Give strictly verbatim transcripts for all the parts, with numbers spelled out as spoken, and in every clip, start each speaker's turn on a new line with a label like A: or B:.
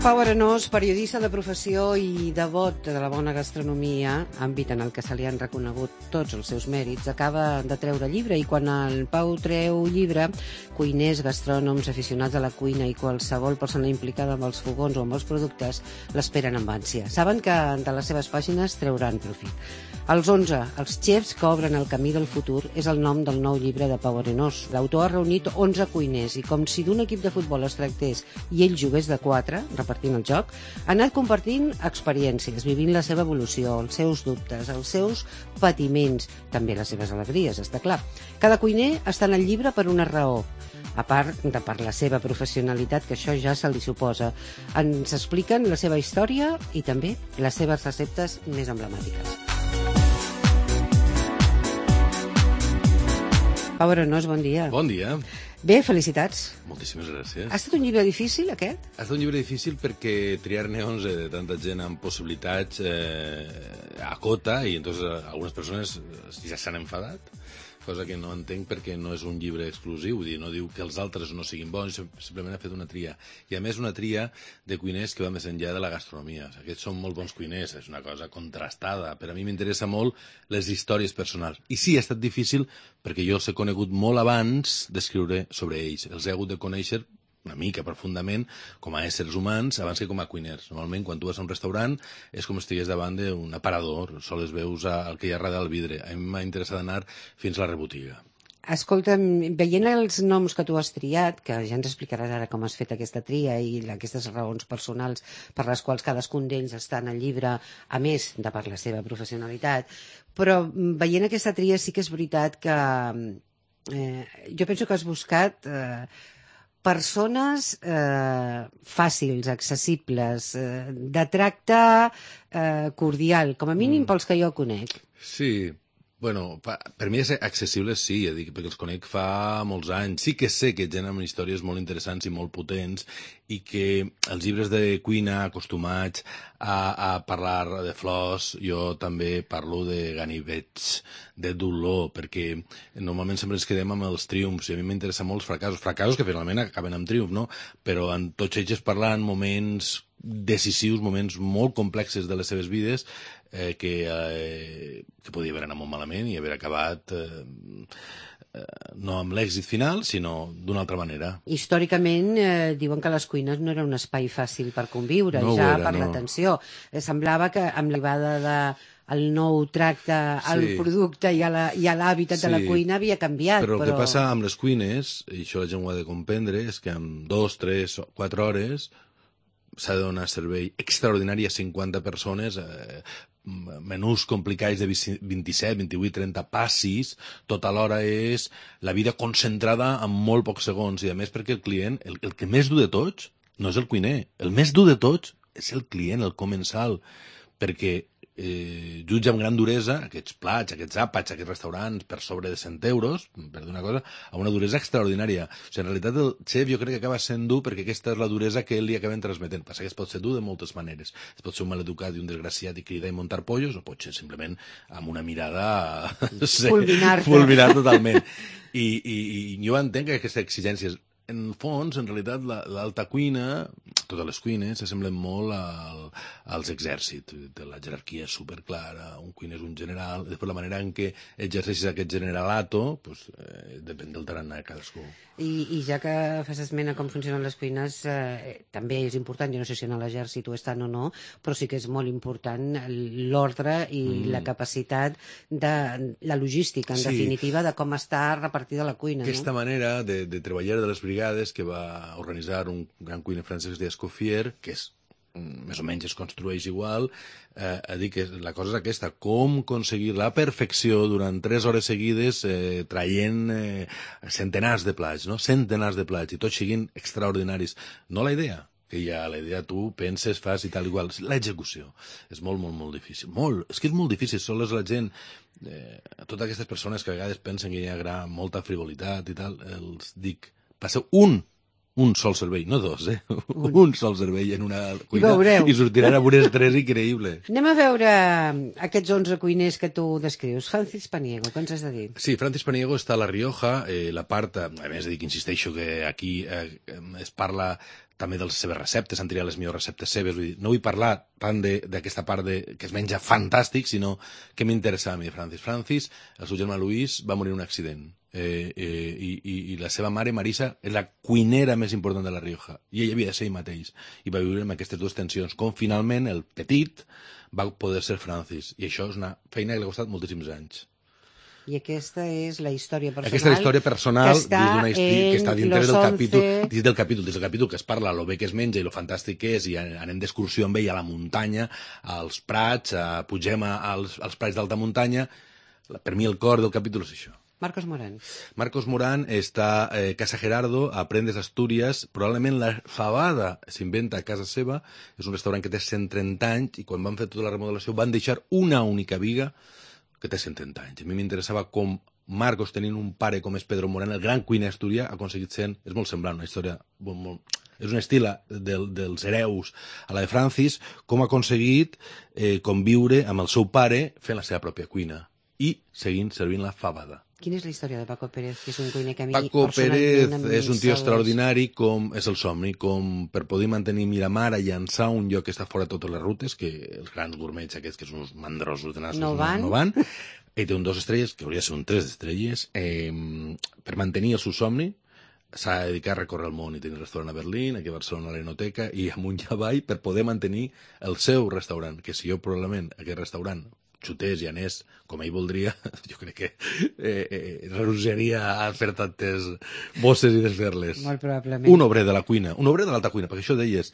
A: Pau Arenós, periodista de professió i devot de la bona gastronomia, àmbit en el que se li han reconegut tots els seus mèrits, acaba de treure llibre, i quan el Pau treu llibre, cuiners, gastrònoms, aficionats a la cuina i qualsevol persona implicada amb els fogons o amb els productes l'esperen amb ànsia. Saben que de les seves pàgines trauran profit. Els onze, els xefs que obren el camí del futur, és el nom del nou llibre de Pau Arenós. L'autor ha reunit onze cuiners i, com si d'un equip de futbol es tractés i ell jugués de quatre, repartint el joc, ha anat compartint experiències, vivint la seva evolució, els seus dubtes, els seus patiments, també les seves alegries, està clar. Cada cuiner està en el llibre per una raó, a part de per la seva professionalitat, que això ja se li suposa. Ens expliquen la seva història i també les seves receptes més emblemàtiques. Pau Arenós, bon dia.
B: Bon dia.
A: Bé, felicitats.
B: Moltíssimes gràcies.
A: Ha estat un llibre difícil, aquest?
B: Ha estat un llibre difícil perquè triar-ne onze de tanta gent amb possibilitats eh, acota, i entonces algunes persones ja s'han enfadat, cosa que no entenc perquè no és un llibre exclusiu, vull dir, no diu que els altres no siguin bons, simplement ha fet una tria. I a més una tria de cuiners que va més enllà de la gastronomia. O sigui, aquests són molt bons cuiners, és una cosa contrastada, però a mi m'interessa molt les històries personals. I sí, ha estat difícil perquè jo els he conegut molt abans d'escriure sobre ells. Els he hagut de conèixer una mica profundament com a éssers humans abans que com a cuiners. Normalment, quan tu vas a un restaurant, és com si estigués davant d'un aparador, sols veus el que hi ha darrere del vidre. A mi m'ha interessat anar fins a la rebotiga.
A: Escolta, veient els noms que tu has triat, que ja ens explicaràs ara com has fet aquesta tria i aquestes raons personals per les quals cadascun d'ells està en el llibre, a més de per la seva professionalitat, però veient aquesta tria sí que és veritat que eh, jo penso que has buscat eh, persones eh, fàcils, accessibles, eh, de tracte eh, cordial, com a mínim mm. pels que jo conec.
B: Sí, bueno, per mi és accessible, sí, ja dic, perquè els conec fa molts anys. Sí que sé que generen històries molt interessants i molt potents i que els llibres de cuina acostumats a, a parlar de flors, jo també parlo de ganivets, de dolor, perquè normalment sempre ens quedem amb els triomfs i a mi m'interessa molt els fracassos, fracassos que finalment acaben amb triomf, no? Però en tots ells parlant moments decisius, moments molt complexes de les seves vides eh, que, eh, que podia haver anat molt malament i haver acabat eh, eh, no amb l'èxit final, sinó d'una altra manera.
A: Històricament eh, diuen que les cuines no era un espai fàcil per conviure, no ja era, per no. l'atenció. Eh, semblava que amb l'arribada de el nou tracte al sí. producte i a l'hàbitat sí. de la cuina havia canviat.
B: Però,
A: però
B: el que passa amb les cuines, i això la gent ho ha de comprendre, és que en dos, tres, quatre hores s'ha de donar servei extraordinari a cinquanta persones, eh, menús complicats de vint-i-set, vint-i-vuit, trenta passis, tot alhora és la vida concentrada en molt pocs segons, i a més perquè el client, el, el que més dur de tots, no és el cuiner, el més dur de tots és el client, el comensal, perquè eh, jutja amb gran duresa aquests plats, aquests àpats, aquests restaurants per sobre de cent euros, per dir una cosa, amb una duresa extraordinària. O sigui, en realitat el xef jo crec que acaba sent dur perquè aquesta és la duresa que ell li acaben transmetent. Passa que es pot ser dur de moltes maneres. Es pot ser un maleducat i un desgraciat i cridar i muntar pollos, o pot ser simplement amb una mirada
A: fulminar-te.
B: fulminar totalment. I, i, i jo entenc que aquestes exigències, en fons, en realitat, l'alta cuina, totes les cuines, s'assemblen molt al, als exèrcits. La jerarquia és superclara, un cuiner és un general, després la manera en què exerceixes aquest generalato, pues, eh, depèn del tarannà de cadascú.
A: I, I ja que fas esment a com funcionen les cuines, eh, també és important, jo no sé si en l'exèrcit ho estan o no, però sí que és molt important l'ordre i mm. la capacitat de la logística, en sí. definitiva, de com està repartida la cuina.
B: Aquesta
A: no?
B: manera de, de treballar de les brigades que va organitzar un gran cuiner francès que es deia Escoffier, que és més o menys es construeix igual, eh, a dir que la cosa és aquesta, com aconseguir la perfecció durant tres hores seguides eh, traient eh, centenars de plats, no? Centenars de plats, i tots siguin extraordinaris. No la idea, que ja la idea tu penses, fas i tal igual. L'execució és molt, molt, molt difícil. Molt, és que és molt difícil, sols la gent, eh, totes aquestes persones que a vegades pensen que hi ha molta frivolitat i tal, els dic, passeu un un sol servei, no dos, eh? Un, un sol servei en una cuina i, i sortiran amb un estrès increïble.
A: Anem a veure aquests onze cuiners que tu descrius. Francis Paniego, què ens has de dir?
B: Sí, Francis Paniego està a La Rioja, eh, la part, a més de dir que insisteixo que aquí eh, es parla també de les seves receptes, han triat les millors receptes seves. Vull dir, no vull parlar tant d'aquesta part de, que es menja fantàstic, sinó que m'interessava a mi Francis. Francis, el seu germà Luis, va morir en un accident. Eh, eh, i, i, I la seva mare, Marisa, és la cuinera més important de La Rioja. I ell havia de ser ell mateix. I va viure amb aquestes dues tensions. Com finalment el petit va poder ser Francis. I això és una feina que li ha costat moltíssims anys.
A: I aquesta és la història personal.
B: Aquesta és la història personal
A: que està,
B: una història, que està dintre del capítol,
A: once...
B: dins del capítol, dins del capítol que es parla lo bé que es menja i lo fantàstic que és, i anem d'excursió amb ell a la muntanya, als prats, a, pugem als, als prats d'alta muntanya. Per mi el cor del capítol és això.
A: Marcos Morán.
B: Marcos Morán està a eh, Casa Gerardo, a Prendes, Astúries. Probablement la fabada s'inventa a casa seva. És un restaurant que té cent trenta anys i quan van fer tota la remodelació van deixar una única viga que té cent trenta anys. A mi m'interessava com Marcos, tenint un pare com és Pedro Morán, el gran cuiner asturià, ha aconseguit ser... És molt semblant, una història... Molt, molt, és un estil del, dels hereus a la de Francis, com ha aconseguit eh, conviure amb el seu pare fent la seva pròpia cuina i seguint servint la fabada.
A: Quina és la història de Paco Pérez, que és un cuiner que a mi
B: Paco Pérez és un tio
A: sols...
B: extraordinari, com és el somni, com per poder mantenir Miramar a llançar un lloc que està fora de totes les rutes, que els grans gourmets aquests, que són uns mandrosos de nassos,
A: no van.
B: No, no van. Ell té un dos estrelles, que hauria de ser un tres estrelles. Eh, per mantenir el seu somni, s'ha de dedicar a recórrer el món i tenir restaurant a Berlín, aquí a Barcelona a l'Enoteca, i amunt i avall per poder mantenir el seu restaurant, que si jo probablement aquest restaurant xutés i anés com ell voldria, jo crec que eh, eh, renunciaria a fer tantes bosses i desfer-les.
A: Molt probablement.
B: Un obrer de la cuina, un obrer de l'alta cuina, perquè això deies,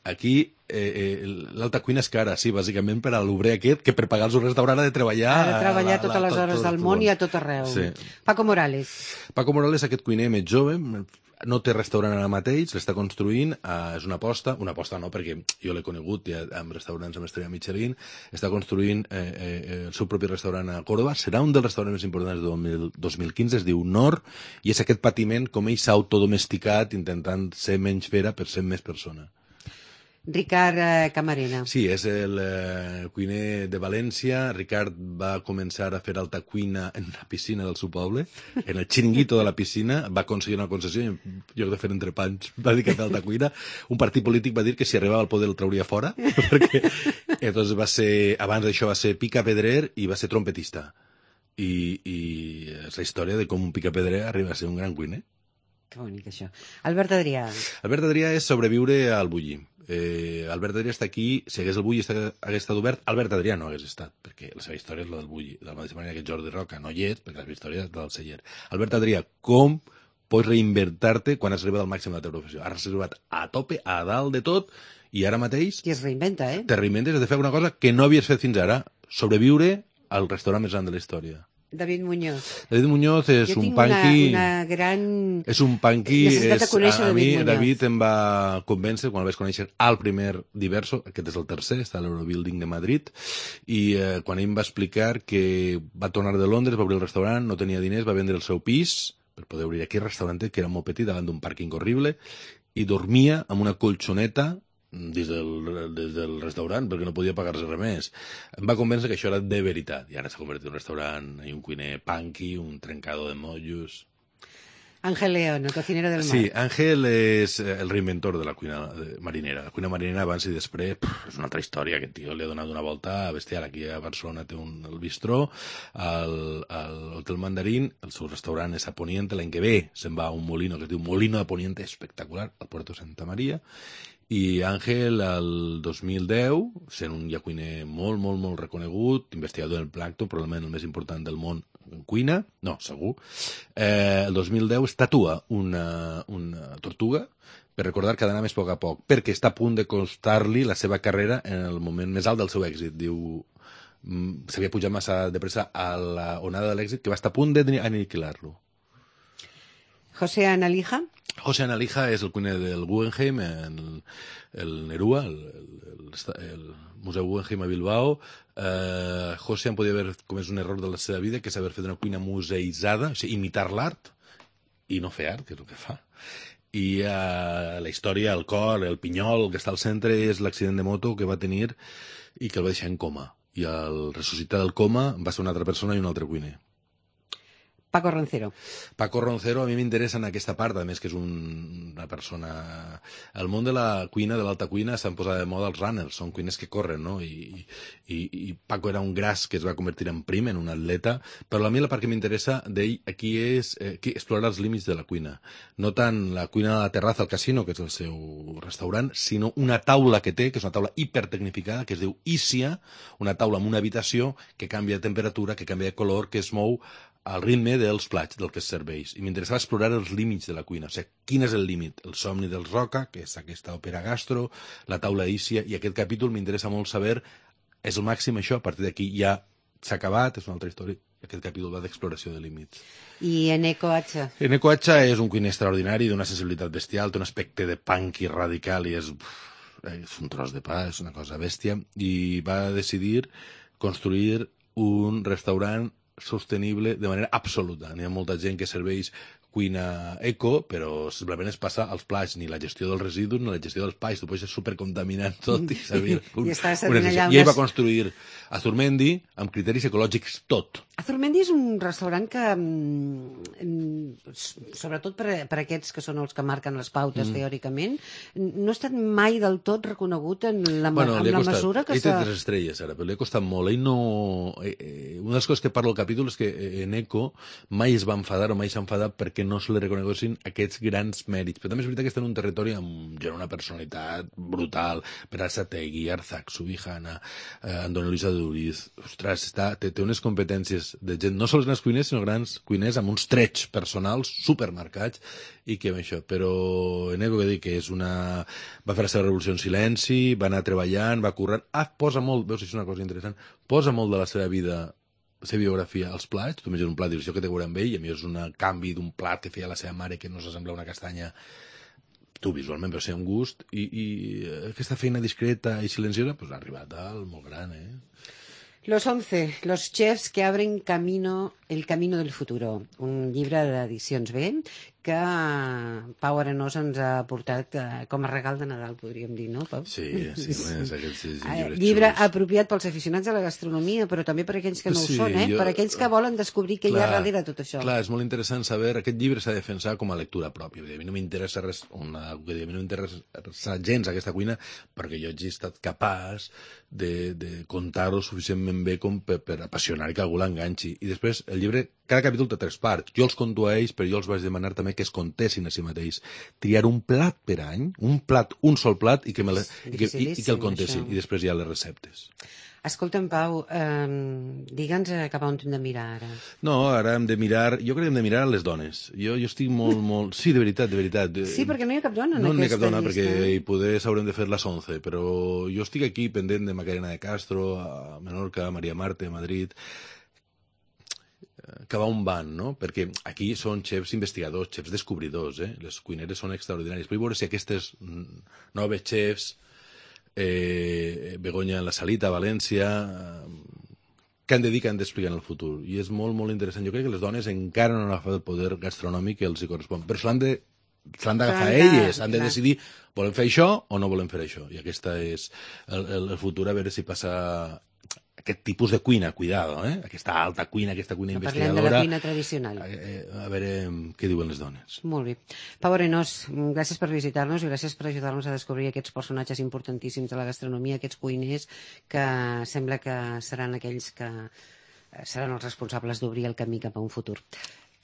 B: aquí eh, eh, l'alta cuina és cara, sí, bàsicament per a l'obrer aquest, que per pagar el seu restaurant ha de treballar...
A: Ha de treballar
B: la, la,
A: totes les
B: tot,
A: hores
B: tot,
A: del
B: tot,
A: món i a tot arreu.
B: Sí.
A: Paco Morales.
B: Paco Morales, aquest cuiner més jove, no té restaurant ara mateix, l'està construint, eh, és una aposta, una aposta no, perquè jo l'he conegut ja amb restaurants amb estrella Michelin, està construint eh, eh, el seu propi restaurant a Córdoba, serà un dels restaurants més importants del dos mil quinze, es diu Nord, i és aquest patiment com ell s'ha autodomesticat intentant ser menys fera per ser més persona.
A: Ricard eh, Camarena.
B: Sí, és el eh, cuiner de València. Ricard va començar a fer alta cuina en la piscina del seu poble, en el xiringuito de la piscina, va aconseguir una concessió i en lloc de fer entrepans va dir que feia alta cuina. Un partit polític va dir que si arribava al poder el trauria fora, perquè entonces va ser, abans d'això va ser picapedrer i va ser trompetista. I, i és la història de com un picapedrer arriba a ser un gran cuiner.
A: Que bonic, això. Albert Adrià.
B: Albert Adrià és sobreviure al bulli. Eh, Albert Adrià està aquí, si hagués el bulli hagués estat obert, Albert Adrià no hagués estat, perquè la seva història és la del bulli, de la mateixa manera que Jordi Roca no hi és, perquè la seva història és la del celler. Albert Adrià, com pots reinventar-te quan has arribat al màxim de la teva professió? Has arribat a tope, a dalt de tot, i ara mateix...
A: I es reinventa, eh?
B: Te reinventes de fer una cosa que no havies fet fins ara, sobreviure al restaurant més gran de la història.
A: David Muñoz.
B: David Muñoz és
A: jo
B: un
A: tinc
B: punky...
A: Una, una gran...
B: És un punky...
A: necessitat de conèixer
B: a, a
A: David
B: mi,
A: Muñoz.
B: David em va convèncer quan el vaig conèixer al primer Diverso, aquest és el tercer, està a l'Eurobuilding de Madrid, i eh, quan ell em va explicar que va tornar de Londres, va obrir el restaurant, no tenia diners, va vendre el seu pis per poder obrir aquell restaurant que era molt petit, davant d'un pàrquing horrible, i dormia amb una colxoneta des del, des del restaurant perquè no podia pagar-se res més. Em va convèncer que això era de veritat i ara s'ha convertit en un restaurant i un cuiner punky, un trencador de mollos.
A: Ángel León, el cocinero del mar.
B: Sí, Ángel és el reinventor de la cuina marinera. La cuina marinera abans i després pff, és una altra història. Aquest tio li ha donat una volta bestial. Aquí a Barcelona té un, el bistró, al, al Hotel Mandarín, el seu restaurant és a Poniente. L'any que ve se'n va a un molino que es diu Molino de Poniente, espectacular, al Puerto Santa Maria. I Àngel, el dos mil deu, sent un ja cuiner molt, molt, molt reconegut, investigador del plàncton, probablement el més important del món en cuina, no, segur, eh, el dos mil deu es tatua una, una tortuga per recordar que ha d'anar més a poc a poc, perquè està a punt de costar-li la seva carrera en el moment més alt del seu èxit. Diu, s'havia pujat massa de pressa a la onada de l'èxit que va estar a punt d'aniquilar-lo.
A: José Analija.
B: José Analija és el cuiner del Guggenheim, el, el Nerua, el, el, el Museu Guggenheim a Bilbao. Eh, José em podia haver comès un error de la seva vida, que és haver fet una cuina museïtzada, o sigui, imitar l'art i no fer art, que és el que fa. I eh, la història, el cor, el pinyol que està al centre és l'accident de moto que va tenir i que el va deixar en coma. I al ressuscitar del coma va ser una altra persona i un altre cuiner.
A: Paco Roncero.
B: Paco Roncero a mi m'interessa en aquesta part, a més que és un, una persona... El món de la cuina, de l'alta cuina, s'han posat de moda els runners, són cuiners que corren, no? I, i, i Paco era un gras que es va convertir en prim, en un atleta, però a mi la part que m'interessa d'ell aquí és eh, que explorar els límits de la cuina. No tant la cuina de la terrassa al casino, que és el seu restaurant, sinó una taula que té, que és una taula hipertecnificada, que es diu Ícia, una taula en una habitació que canvia de temperatura, que canvia de color, que es mou al ritme dels plats, del que es serveix. I m'interessava explorar els límits de la cuina. O sigui, quin és el límit? El somni dels Roca, que és aquesta òpera gastro, la taula Ícia, i aquest capítol m'interessa molt saber, és el màxim això, a partir d'aquí ja s'ha acabat, és una altra història. Aquest capítol va d'exploració de límits.
A: I Eneko Acha?
B: Eneko Acha és un cuiner extraordinari, d'una sensibilitat bestial, té un aspecte de punk i radical, i és, és un tros de pa, és una cosa bèstia, i va decidir construir un restaurant sostenible de manera absoluta. N'hi ha molta gent que serveix cuina eco, però simplement es passa als plats, ni la gestió dels residus ni la gestió dels pais. Tu pots ser supercontaminant tot i servir un,
A: I, estava
B: una
A: allà
B: I ell
A: unes...
B: va construir Azurmendi amb criteris ecològics tot.
A: Azurmendi és un restaurant que, mm, sobretot per, per aquests que són els que marquen les pautes mm. teòricament, no ha estat mai del tot reconegut en la,
B: bueno,
A: en la
B: costat,
A: mesura que
B: ell té tres estrelles ara, però li ha costat molt. Ell no... Eh, eh, una de les coses que parlo al capítol és que Eneko mai es va enfadar o mai s'ha enfadat perquè no se li reconeguessin aquests grans mèrits. Però també és veritat que està en un territori amb ja una personalitat brutal. Pere Sategui, Arzac, Subijana, eh, Andona Luisa Duriz. Ostres, està, té, té unes competències de gent, no sols grans cuiners, sinó grans cuiners amb uns trets personals supermarcats i que amb això. Però Eneko, que dic que és una... va fer la seva revolució en silenci, va anar treballant, va currant. Ah, posa molt, veus, és una cosa interessant, posa molt de la seva vida, la seva biografia als plats. Tu menges un plat i dius, jo que té a veure amb ell, i a mi és un canvi d'un plat que feia la seva mare que no s'assembla a una castanya, tu visualment, però ser un gust, i, i aquesta feina discreta i silenciosa pues, ha arribat al molt gran, eh?
A: Los once, los chefs que abren camino, el camino del futuro, un llibre d'edicions B que Pau Arenós ens ha portat eh, com a regal de Nadal, podríem dir, no, Pau?
B: Sí, sí, és aquests llibres
A: Llibre
B: xulos.
A: apropiat pels aficionats a la gastronomia, però també per aquells que no
B: Sí,
A: ho són, eh?
B: jo-
A: Per aquells que volen descobrir què hi ha darrere tot això.
B: Clar, és molt interessant saber, aquest llibre s'ha de defensar com a lectura pròpia. A mi no m'interessa res, una, a mi no m'interessa gens aquesta cuina, perquè jo hagi estat capaç de, de contar-ho suficientment bé com per, per apassionar i que algú l'enganxi. I després, el llibre, cada capítol té tres parts. Jo els conto a ells, però jo els vaig demanar també que es contessin a si mateix. Triar un plat per any, un plat, un sol plat, i que, me la, i que, i, i que el contessin. Això. I després hi ha les receptes.
A: Escolta'm, Pau, eh, digue'ns cap a on hem de mirar ara.
B: No, ara hem de mirar... Jo crec que hem de mirar les dones. Jo, jo estic molt, molt... Sí, de veritat, de veritat.
A: Sí, perquè no hi ha cap dona en
B: no
A: aquesta
B: No hi ha cap dona,
A: llista.
B: perquè hi poder s'haurem de fer les onze, però jo estic aquí pendent de Macarena de Castro, a Menorca, a Maria Marte, a Madrid, que va on van, no? Perquè aquí són xefs investigadors, xefs descobridors, eh? Les cuineres són extraordinàries. Vull veure si aquestes noves xefs, eh, Begoña en la Salita, a València, eh, que han de dir que han d'explicar en el futur. I és molt, molt interessant. Jo crec que les dones encara no han agafat el poder gastronòmic que els hi correspon. Però se l'han de se l'han d'agafar elles, han de
A: clar.
B: decidir volem fer això o no volem fer això. I aquesta és el, el, el futur, a veure si passa aquest tipus de cuina, cuidado, eh? Aquesta alta cuina, aquesta cuina
A: No
B: investigadora.
A: parlem de la cuina tradicional.
B: Eh, a veure què diuen les dones.
A: Molt bé. Pau Arenós, gràcies per visitar-nos i gràcies per ajudar-nos a descobrir aquests personatges importantíssims de la gastronomia, aquests cuiners que sembla que seran aquells que seran els responsables d'obrir el camí cap a un futur.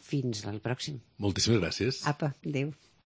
A: Fins al pròxim.
B: Moltíssimes gràcies.
A: Apa, adéu.